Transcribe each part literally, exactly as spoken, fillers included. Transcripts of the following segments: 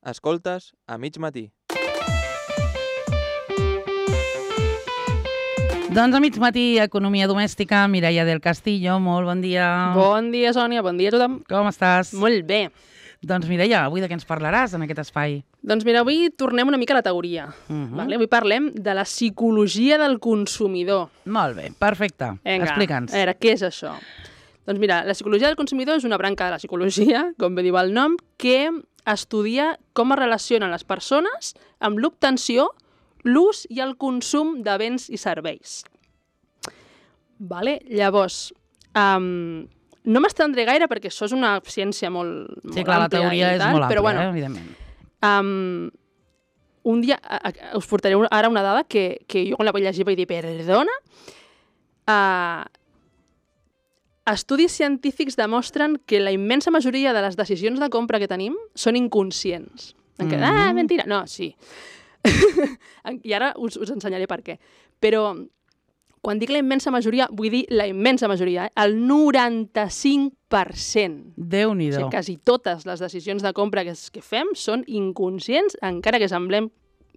Escoltes a mig matí. Doncs a mig matí, Economia Domèstica, Mireia del Castillo, molt bon dia. Bon dia, Sònia, bon dia a tothom. Com estàs? Molt bé. Doncs Mireia, avui de què ens parlaràs en aquest espai? Doncs mira, avui tornem una mica a la teoria. Uh -huh. vale? Avui parlem de la psicologia del consumidor. Molt bé, perfecte. Explica'ns. A veure, què és això? Doncs mira, la psicologia del consumidor és una branca de la psicologia, com bé diu el nom, que estudia com es relacionen les persones amb l'obtenció, l'ús i el consum de béns i serveis. Vale? Llavors, um, no m'estendré gaire perquè això és una ciència molt, molt sí, clar, la teoria i és tal, molt però, àmplia, bueno, eh, evidentment. Um, un dia a, a, us portaré ara una dada que, que jo quan la vaig llegir vaig dir, perdona? Uh, estudis científics demostren que la immensa majoria de les decisions de compra que tenim són inconscients. En què, mm -hmm. ah, mentira! No, sí. I ara us, us ensenyaré per què. Però quan dic la immensa majoria, vull dir la immensa majoria, eh? El noranta-cinc per cent. Déu-n'hi-do. O sigui, quasi totes les decisions de compra que, que fem són inconscients, encara que semblem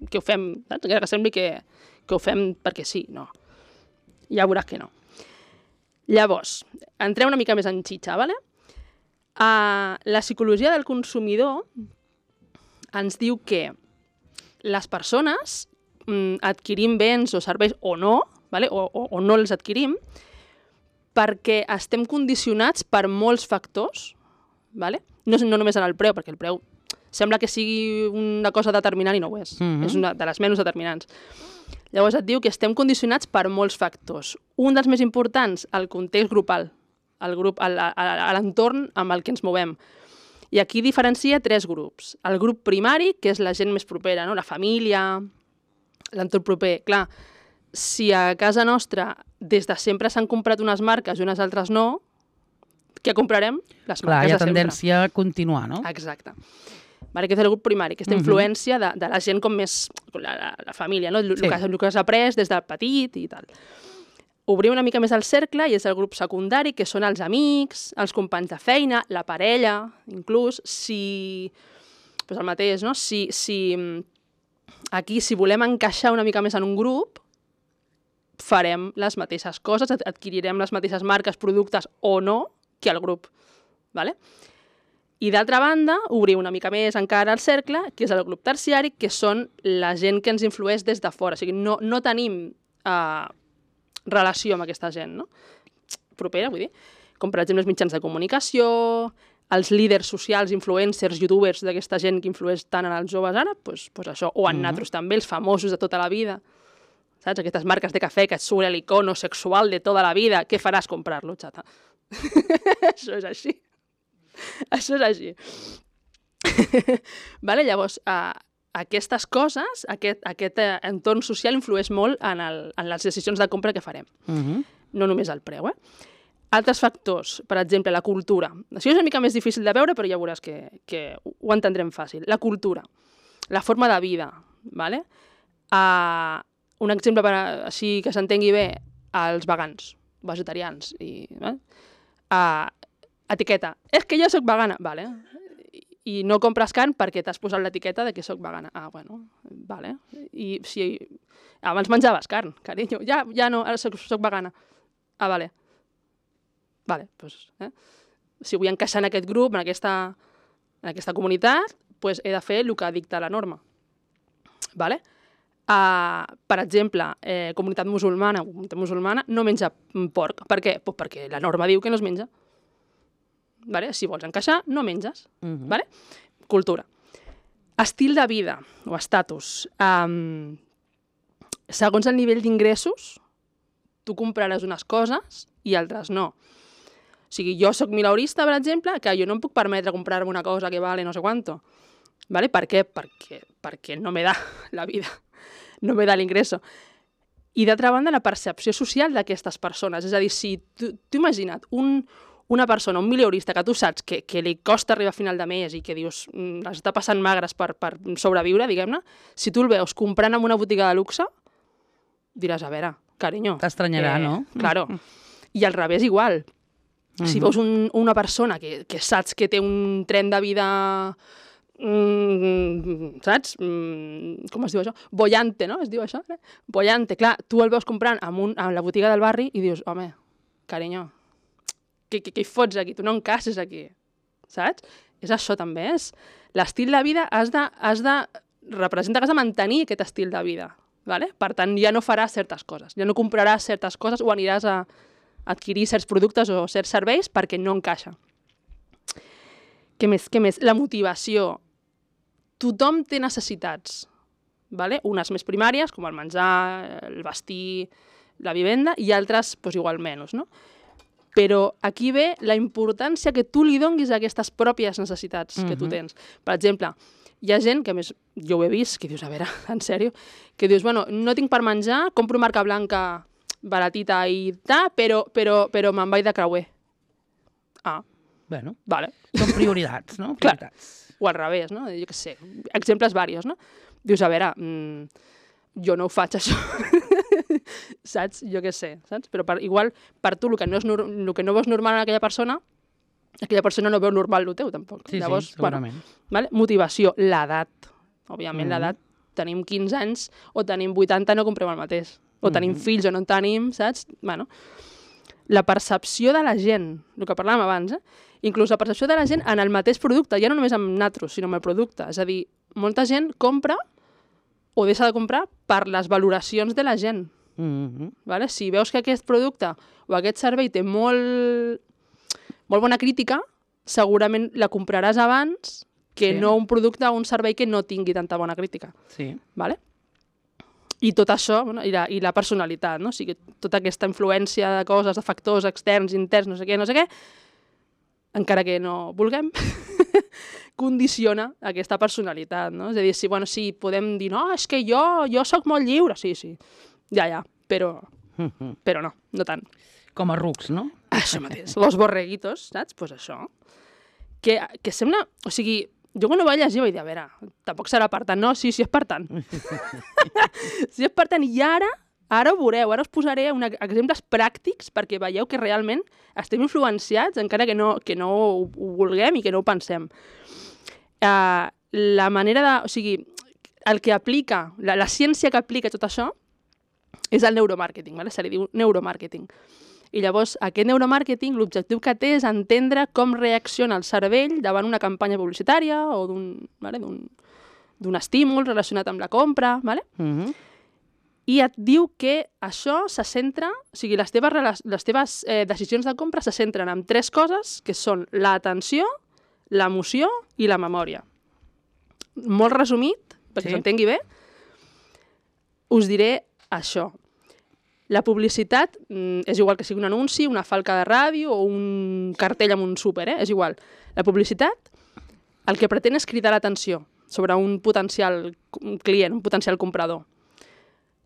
que ho fem, saps? Encara que sembli que, que ho fem perquè sí, no. Ja veuràs que no. Llavors, entrem una mica més en xitxa, ¿vale? Uh, la psicologia del consumidor ens diu que les persones mm, adquirim béns o serveis o no, vale? o, o, o no els adquirim, perquè estem condicionats per molts factors, vale? no, no només en el preu, perquè el preu sembla que sigui una cosa determinant i no ho és, mm-hmm. és una de les menys determinants. Llavors et diu que estem condicionats per molts factors. Un dels més importants, el context grupal, el grup, l'entorn amb el que ens movem. I aquí diferencia tres grups. El grup primari, que és la gent més propera, no? La família, l'entorn proper. Clar, si a casa nostra des de sempre s'han comprat unes marques i unes altres no, què comprarem? Les Clar, marques hi ha de tendència sempre. A continuar, no? Exacte. Vale, aquest és el grup primari, aquesta uh-huh. influència de, de la gent com més... La, la, la família, no? El, sí. que, el que has après des del petit i tal. Obrim una mica més el cercle i és el grup secundari, que són els amics, els companys de feina, la parella, inclús, si... Pues el mateix, no? Si, si aquí, si volem encaixar una mica més en un grup, farem les mateixes coses, adquirirem les mateixes marques, productes o no, que el grup, vale? I d'altra banda, obrim una mica més encara el cercle, que és el grup terciari, que són la gent que ens influeix des de fora. O sigui, no, no tenim eh, relació amb aquesta gent, no? Propera, vull dir. Com, per exemple, els mitjans de comunicació, els líders socials, influencers, youtubers d'aquesta gent que influeix tant en els joves ara, doncs, doncs això. O en nosaltres mm-hmm. també, els famosos de tota la vida. Saps? Aquestes marques de cafè que et surt l'icono sexual de tota la vida. Què faràs? Comprar-lo, xata. Això és així. Això és així. Vale? Llavors, uh, aquestes coses, aquest, aquest uh, entorn social influeix molt en, el, en les decisions de compra que farem. Uh-huh. No només el preu, eh? Altres factors, per exemple, la cultura. Això és una mica més difícil de veure, però ja veuràs que, que ho entendrem fàcil. La cultura, la forma de vida, vale? Uh, un exemple per, així que s'entengui bé, els vegans, vegetarians, i... Eh? Uh, etiqueta, és que jo soc vegana, vale. I no compres carn perquè t'has posat l'etiqueta de que soc vegana. Ah, bueno, vale. I si abans menjaves carn, carinyo, ja, ja no, ara soc, soc vegana. Ah, vale. Vale, doncs, eh? Si vull encaixar en aquest grup, en aquesta, en aquesta comunitat, doncs he de fer el que dicta la norma. Vale? Uh, per exemple, eh, comunitat musulmana, comunitat musulmana no menja porc. Per què? Pues perquè la norma diu que no es menja. Vale? Si vols encaixar, no menges. Uh-huh. Vale? Cultura. Estil de vida o estatus. Um, segons el nivell d'ingressos, tu compraràs unes coses i altres no. O sigui, jo soc mileurista, per exemple, que jo no em puc permetre comprar-me una cosa que vale no sé quanto. Vale? Per què? Perquè, perquè no me da la vida. No me da l'ingresso. I d'altra banda, la percepció social d'aquestes persones. És a dir, si tu, tu imagina't un... una persona, un mileurista, que tu saps que, que li costa arribar a final de mes i que dius, les està passant magres per, per sobreviure, diguem-ne, si tu el veus comprant en una botiga de luxe, diràs, a veure, carinyo... T'estranyarà, eh, no? Claro. I al revés igual. Uh-huh. Si veus un, una persona que, que saps que té un tren de vida mm, saps? Mm, com es diu això? Bollante, no? Es diu això? Eh? Bollante. Clar, tu el veus comprant en, un, en la botiga del barri i dius, home, carinyo, què, què, què hi fots aquí? Tu no encaixes aquí, saps? És això també, és l'estil de vida, has de, has de representa que has de mantenir aquest estil de vida, vale? Per tant, ja no faràs certes coses, ja no compraràs certes coses o aniràs a adquirir certs productes o certs serveis perquè no encaixa. Què més? Què més? La motivació. Tothom té necessitats, vale? Unes més primàries, com el menjar, el vestir, la vivenda, i altres, doncs, igual menys, no? Però aquí ve la importància que tu li donguis a aquestes pròpies necessitats que tu tens. Per exemple, hi ha gent, que a més jo ho he vist, que dius, a veure, en sèrio, que dius, bueno, no tinc per menjar, compro marca blanca baratita i tal, però, però, però me'n vaig de creuer. Ah, Bueno, vale. són prioritats, no? Clar. Prioritats. O al revés, no? Jo què sé, exemples varios, no? Dius, a veure, mmm, jo no ho faig, això. Saps? Jo què sé, saps? Però per, igual, per tu, el que, no és, el que no veus normal en aquella persona, aquella persona no veu normal el teu, tampoc. Sí, Llavors, sí, segurament. Bueno, vale? Motivació, l'edat. Òbviament, Mm-hmm. l'edat, tenim quinze anys o tenim vuitanta, no comprem el mateix. O tenim Mm-hmm. fills o no en tenim, saps? Bueno, la percepció de la gent, el que parlàvem abans, eh? Inclús la percepció de la gent en el mateix producte, ja no només amb natros, sinó amb el producte. És a dir, molta gent compra o deixa de comprar per les valoracions de la gent. Mm-hmm. Vale? Si veus que aquest producte o aquest servei té molt, molt bona crítica, segurament la compraràs abans que Sí. no un producte o un servei que no tingui tanta bona crítica. Sí. Vale? I tot això, bueno, i, la, i la personalitat, no? O sigui, tota aquesta influència de coses, de factors externs, interns, no sé què, no sé què, encara que no vulguem, condiciona aquesta personalitat, no? És a dir, si, bueno, sí, podem dir, no, és que jo, jo sóc molt lliure, sí, sí, ja, ja, però, Mm-hmm. però no, no tant. Com a rucs, no? Això mateix, los borreguitos, saps? Doncs pues això. Que, que sembla, o sigui, jo quan ho vaig llegir vaig dir, a veure, tampoc serà per tant, no, sí, sí és per tant. Sí és per tant, i ara, ara ho veureu, ara us posaré una, exemples pràctics perquè veieu que realment estem influenciats, encara que no, que no ho, ho vulguem i que no ho pensem. Uh, la manera de, o sigui, el que aplica, la, la ciència que aplica tot això és el neuromàrqueting, vale? Se li diu neuromàrqueting. I llavors, aquest neuromàrqueting, l'objectiu que té és entendre com reacciona el cervell davant una campanya publicitària o d'un, vale? d'un estímul relacionat amb la compra, vale? Mm-hmm. I et diu que això se centra, o sigui, les teves, les teves eh, decisions de compra se centren en tres coses, que són l'atenció, l'emoció i la memòria. Molt resumit, perquè Sí. s'entengui bé, us diré això. La publicitat mm, és igual que sigui un anunci, una falca de ràdio o un cartell amb un súper, eh? És igual. La publicitat el que pretén és cridar l'atenció sobre un potencial client, un potencial comprador.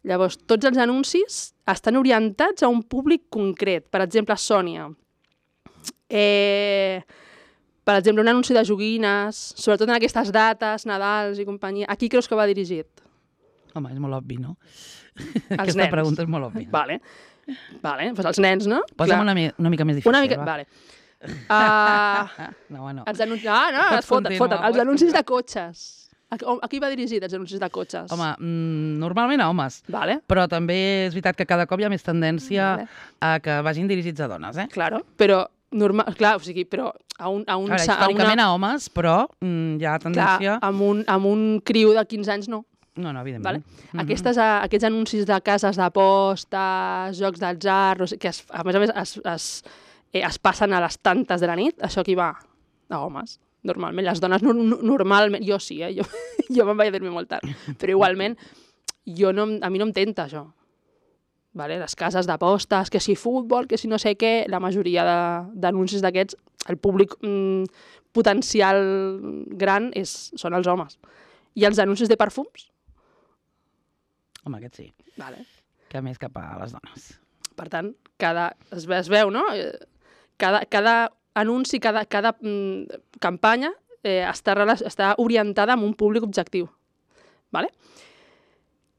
Llavors, tots els anuncis estan orientats a un públic concret. Per exemple, Sònia. Eh, per exemple, un anunci de joguines, sobretot en aquestes dates, Nadals i companyia. A qui creus que va dirigit? Home, és molt obvi, no? Els Aquesta nens. pregunta és molt òbvia. Vale. Vale, doncs els nens, no? Posa'm Clar. una, mi- una mica més difícil, Una mica, va. vale. Uh, No, bueno. els anuncis... Ah, no, Pots es foten, continuar, foten. Els pots anuncis de cotxes. A, a qui va dirigit, els anuncis de cotxes? Home, mm, normalment a homes, Vale, però també és veritat que cada cop hi ha més tendència Vale. a que vagin dirigits a dones, eh? claro. Però, normal, clar, o sigui, però a un... A un A veure, sa- a històricament una, a homes, però mm, hi ha clar, tendència... amb un, amb un criu de quinze anys no. No, no, evidentment. Vale? Aquestes, uh, aquests anuncis de cases d'apostes, jocs d'atzar, no sé, que es, a més a més es, es, eh, es passen a les tantes de la nit, això aquí va a homes. Normalment, les dones no, no, normalment, jo sí, eh? jo, jo me'n vaig a dormir molt tard, però igualment jo no, a mi no em tenta això. Vale? Les cases d'apostes, que si futbol, que si no sé què, la majoria de- d'anuncis d'aquests, el públic mm, potencial gran és, són els homes. I els anuncis de perfums? Home, aquest sí, Vale. que més cap a les dones. Per tant, cada, es, ve, es veu, no? Eh, Cada, cada anunci, cada, cada mm, campanya eh, està, rela- està orientada a un públic objectiu. Vale?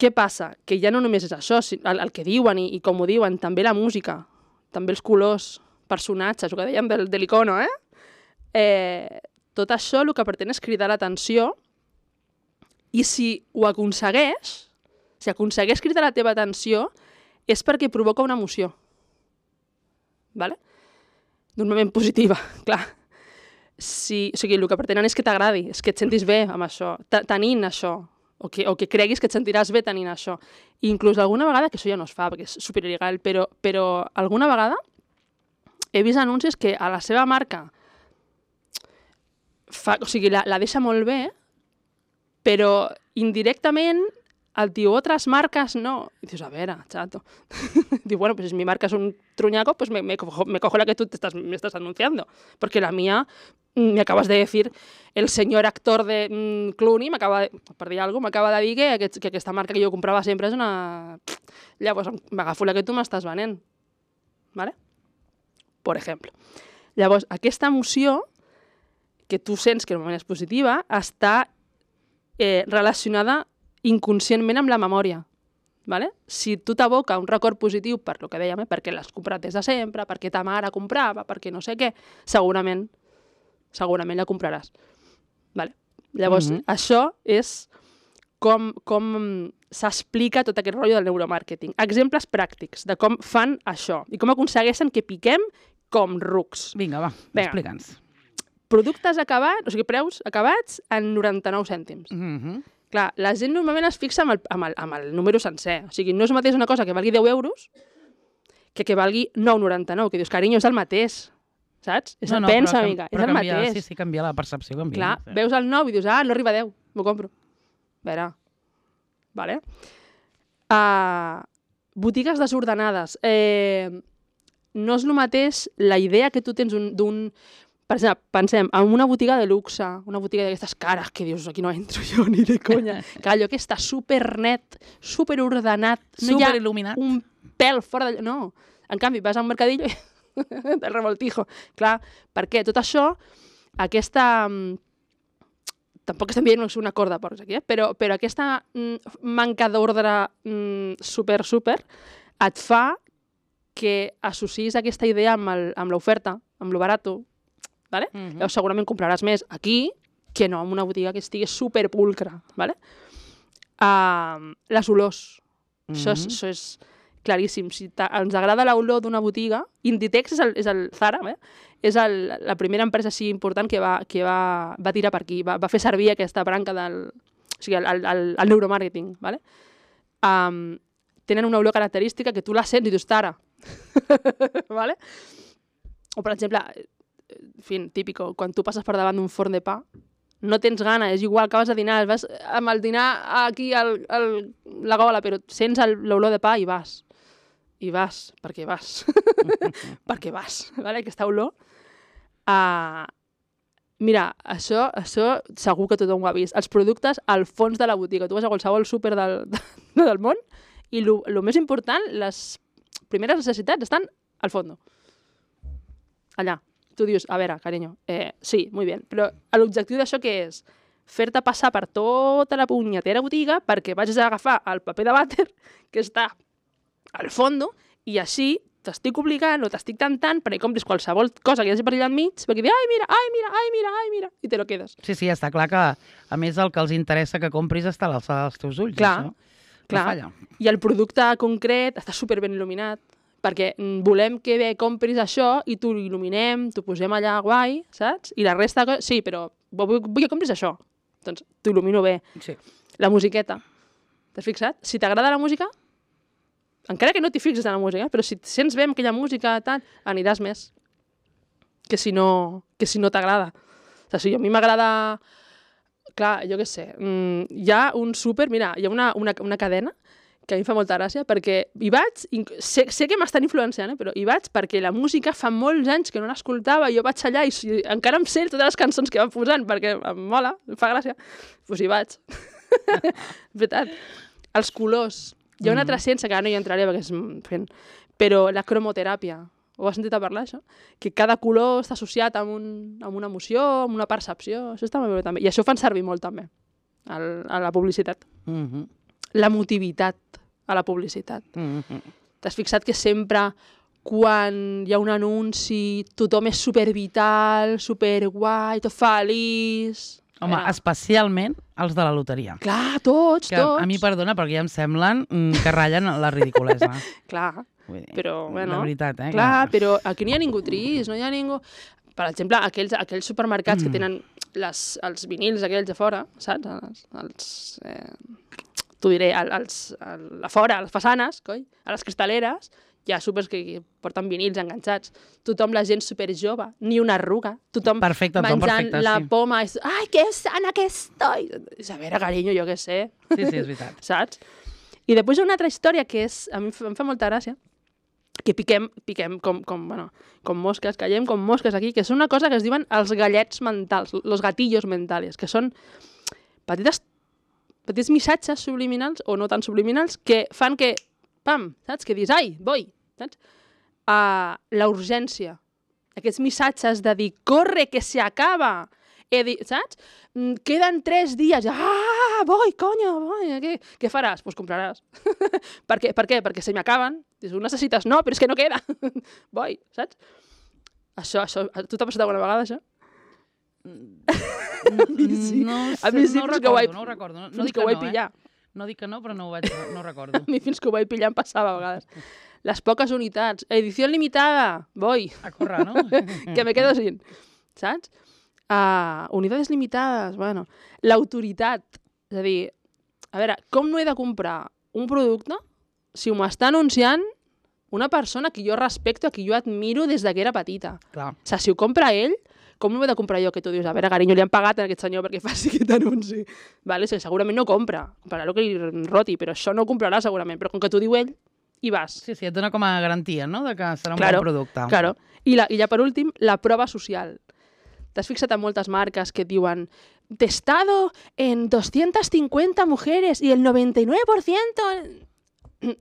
Què passa? Que ja no només és això, si- el, el que diuen i, i com ho diuen, també la música, també els colors, personatges, el que dèiem del, de l'icono, eh? eh? tot això el que pretén és cridar l'atenció i si ho aconsegueix, si aconsegueix cridar la teva atenció, és perquè provoca una emoció. Vale? Normalment positiva, clar. Si, o sigui, el que pretenen és que t'agradi, és que et sentis bé amb això, tenint això, o que, o que creguis que et sentiràs bé tenint això. I inclús alguna vegada, que això ja no es fa, perquè és superil·legal, però, però alguna vegada he vist anuncis que a la seva marca fa, o sigui, la, la deixa molt bé, però indirectament el diu, otras marcas no. Y dices, a ver, chato. Digo, bueno, pues si mi marca es un truñaco, pues me, me, cojo, me cojo la que tú te estás, me estás anunciando. Porque la mía, me acabas de decir, el señor actor de mm, Clooney, m'acaba de, per dir alguna cosa, m'acaba de dir que, aquest, que aquesta marca que jo comprava sempre és una... Llavors, m'agafo la que tu m'estàs venent. ¿Vale? Per exemple. Llavors, aquesta emoció, que tu sents que normalment és positiva, està eh, relacionada inconscientment amb la memòria. Vale? Si tu t'aboca un record positiu per lo que dèiem, eh? perquè l'has comprat des de sempre, perquè ta mare comprava, perquè no sé què, segurament, segurament la compraràs. Vale? Llavors, mm-hmm. això és com, com s'explica tot aquest rotllo del neuromàrqueting. Exemples pràctics de com fan això i com aconsegueixen que piquem com rucs. Vinga, va, explica'ns. Productes acabats, o sigui, preus acabats en noranta-nou cèntims. Mhm. Clar, la gent normalment es fixa amb el, amb, el, amb el número sencer. O sigui, no és mateix una cosa que valgui deu euros que que valgui nou coma noranta-nou, que dius, carinyo, és el mateix, saps? És no, el no, pensa, però, amiga, però és el canvia, mateix. Sí, sí, canvia la percepció. Canvia, Clar, sí. veus el nou i dius, ah, no arriba a deu, m'ho compro. A veure, vale? Uh, botigues desordenades. Eh, no és el mateix la idea que tu tens d'un... Per exemple, pensem en una botiga de luxe, una botiga d'aquestes cares que dius, aquí no entro jo ni de conya, que allò que està supernet, superordenat, no hi ha Superil·luminat. un pèl fora d'allò, no. En canvi, vas a un mercadillo i del revoltijo. Clar, per què? Tot això, aquesta... Tampoc estem dient una corda de porcs aquí, eh? però, però aquesta mm, manca d'ordre mm, super, super, et fa que associs aquesta idea amb l'oferta, amb lo barato, vale? Uh-huh. Llavors segurament compraràs més aquí que no en una botiga que estigui superpulcra. Vale? Uh, les olors. Uh-huh. Això, és, això és claríssim. Si ens agrada l'olor d'una botiga, Inditex és el, és el Zara, eh? És el, la primera empresa així important que, va, que va, va tirar per aquí, va, va fer servir aquesta branca del... O sigui, el, el, el neuromàrqueting. Vale? Um, tenen una olor característica que tu la sents i dius, Zara. Vale? O, per exemple, en fi, típico, quan tu passes per davant d'un forn de pa, no tens gana, és igual, acabes de dinar, vas amb el dinar aquí al, al, la gola, però sents l'olor de pa i vas. I vas, perquè vas. perquè vas, vale? Aquesta olor. Uh, mira, això, això segur que tothom ho ha vist. Els productes al fons de la botiga. Tu vas a qualsevol súper del, del món i el més important, les primeres necessitats estan al fons. Allà. Tu dius, a veure, carinyo, eh, sí, molt bé, però l'objectiu d'això què és? Fer-te passar per tota la punyetera botiga perquè vagis a agafar el paper de vàter que està al fons i així t'estic obligant o t'estic tentant perquè compris qualsevol cosa que hi hagi per allà enmig perquè dius, ai, mira, ai, mira, ai, mira, ai, mira, i te lo quedes. Sí, sí, està clar que a més el que els interessa que compris està a l'alçada dels teus ulls. Clar, això. clar. No I el producte concret està super ben il·luminat, perquè volem que bé compris això i t'ho il·luminem, t'ho posem allà guai, saps? I la resta, sí, però vull, vull que compris això. Doncs t'ho il·lumino bé. Sí. La musiqueta. T'has fixat? Si t'agrada la música, encara que no t'hi fixes en la música, però si et sents bé amb aquella música, tal, aniràs més que si no, que si no t'agrada. O sigui, a mi m'agrada... Clar, jo què sé, hi ha un súper... Mira, hi ha una, una, una cadena que a mi fa molta gràcia, perquè hi vaig, sé, sé que m'estan influenciant, eh, però hi vaig perquè la música fa molts anys que no l'escoltava, i jo vaig allà i, i encara em sé totes les cançons que van posant, perquè em mola, em fa gràcia, doncs hi vaig. Veritat. Els colors. Hi ha una altra ciència, que ara no hi entraré perquè és fent, però la cromoteràpia. Ho has sentit a parlar, això? Que cada color està associat amb, un, amb una emoció, amb una percepció. Això està molt bé, també. I això ho fan servir molt, també, al, a la publicitat. Mhm. L'emotivitat a la publicitat. Mm-hmm. T'has fixat que sempre quan hi ha un anunci, tothom és supervital, superguai, tot feliç... Home, Era. especialment els de la loteria. Clar, tots, Que tots. a mi, perdona, perquè ja em semblen mm, que ratllen la ridiculesa. Clar, Vull dir, però, bueno... de veritat, eh? Clar, que- però aquí no hi ha ningú trist, no hi ha ningú... Per exemple, aquells, aquells supermercats Mm. que tenen les, els vinils aquells a fora, saps? Els, els, eh, t'ho diré, el- els, el, a fora, a les façanes, coi, a les cristaleres, hi ha súpers que, que porten vinils enganxats. Tothom, la gent super jove, ni una arruga. Tothom Perfecte, tothom menjant perfecte, la sí. poma. És, ai, que sana que estoy! A veure, carinyo, jo què sé. Sí, sí, és veritat. Saps? I després hi ha una altra història que és, a mi em fa- em fa molta gràcia, que piquem, piquem com, com, bueno, com mosques, callem com mosques aquí, que són una cosa que es diuen els gallets mentals, los gatillos mentales, que són petites, petits missatges subliminals, o no tan subliminals, que fan que, pam, saps? Que dius, ai, voi, saps? Uh, la urgència. Aquests missatges de dir, corre, que se acaba. He dit, saps? Mm, Queden tres dies. Ah, voi, coño, voi. Què, què faràs? Doncs pues compraràs. per, què? per què? Perquè se m'acaben. Dius, ho necessites? No, però és que no queda. voi, saps? Això, això, a tu t'ha passat alguna vegada, això? mi sí. No, A mi sí, no ho fins que ho recordo, vaig- no ho recordo. No, no Fins dic que ho vaig no, pillar. Eh? No dic que no, però no ho vaig, no ho recordo. A mi fins que ho vaig pillar em passava a vegades. Les poques unitats. Edició limitada. Voi. A córrer, no? que me quedo sin. Saps? Uh, unidades limitades. Bueno. L'autoritat. És a dir, a veure, com no he de comprar un producte si m'ho està anunciant una persona que jo respecto, a qui jo admiro des de que era petita? Clar. O sigui, si ho compra ell, com no ho he de comprar jo? Que tu dius, a veure, carinyo, li han pagat a aquest senyor perquè faci aquest anunci. Vale? O sigui, segurament no compra. Comprarà el que li roti, però això no ho comprarà segurament. Però com que t'ho diu ell, hi vas. Sí, sí, et dona com a garantia, no?, de que serà un Claro, bon producte. Claro. I, la, I ja per últim, la prova social. T'has fixat en moltes marques que et diuen testado en doscientas cincuenta mujeres y el noventa y nueve por ciento...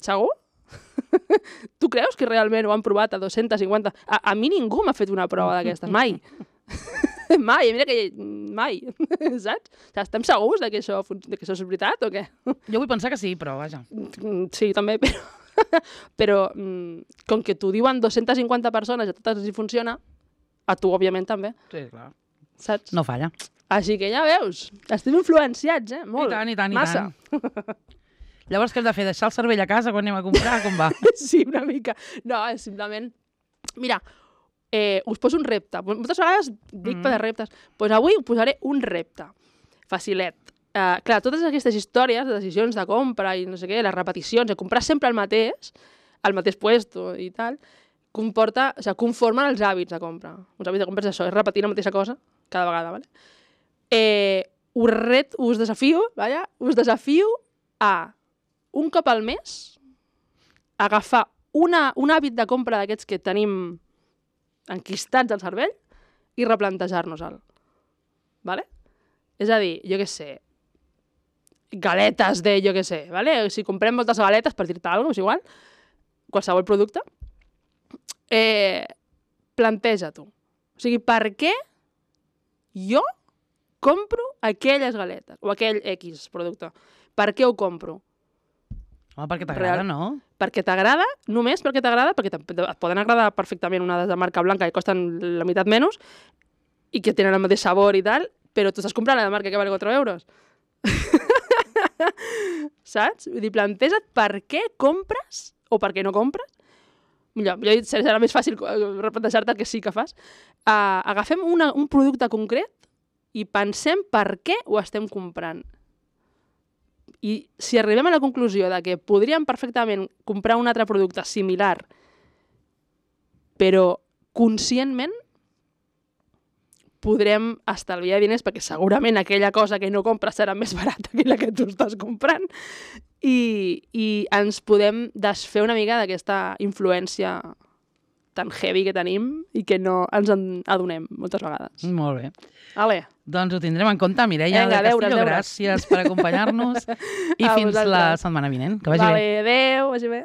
Segur? tu creus que realment ho han provat a dos-centes cinquanta? A, a mi ningú m'ha fet una prova d'aquestes, mai. mai, mira que mai, saps? O sigui, estem segurs de que, això, fun- de que això és veritat o què? Jo vull pensar que sí, però vaja. Mm, Sí, també, però, però mm, com que t'ho diuen dos-centes cinquanta persones i a totes els hi funciona, a tu, òbviament, també, Sí, clar. saps? No falla. Així que ja veus, estem influenciats, eh? Molt. I tant, i tant, i Massa. tant. Llavors, què hem de fer? Deixar el cervell a casa quan anem a comprar? Com va? sí, una mica. No, és simplement... Mira, eh, us poso un repte. Moltes vegades dic mm. per de reptes. Doncs pues avui us posaré un repte. Facilet. Uh, clar, totes aquestes històries de decisions de compra i no sé què, les repeticions, de comprar sempre el mateix, el mateix puesto i tal, comporta, o sigui, conformen els hàbits de compra. Els hàbits de compra és això, és repetir la mateixa cosa cada vegada, ¿vale? Eh, us, ret, us desafio, vaja, us desafio a un cop al mes agafar una, un hàbit de compra d'aquests que tenim enquistats al cervell i replantejar-nos-el. Vale? És a dir, jo què sé, galetes de, jo què sé, vale? Si comprem moltes galetes, per dir-te alguna cosa, és igual, qualsevol producte, eh, planteja-t'ho. O sigui, per què jo compro aquelles galetes o aquell X producte? Per què ho compro? Home, perquè t'agrada, Real. no? Perquè t'agrada, només perquè t'agrada, perquè te- et poden agradar perfectament unes de marca blanca que costen la meitat menys i que tenen el mateix sabor i tal, però tu estàs comprant la de marca que vale quatre euros. Saps? Vull dir, planteja't per què compres o per què no compres. Millor, millor dit, serà més fàcil replantejar-te el que sí que fas. Uh, agafem una, un producte concret i pensem per què ho estem comprant. I si arribem a la conclusió de que podríem perfectament comprar un altre producte similar, però conscientment podrem estalviar diners perquè segurament aquella cosa que no compres serà més barata que la que tu estàs comprant i, i ens podem desfer una mica d'aquesta influència tan heavy que tenim i que no ens en adonem moltes vegades. Molt bé. Ale. Doncs ho tindrem en compte, Mireia Vinga, de deures, Castillo. deures. Gràcies per acompanyar-nos i A fins la vosaltres. setmana vinent. Que vagi Vale, bé. adéu, vagi bé.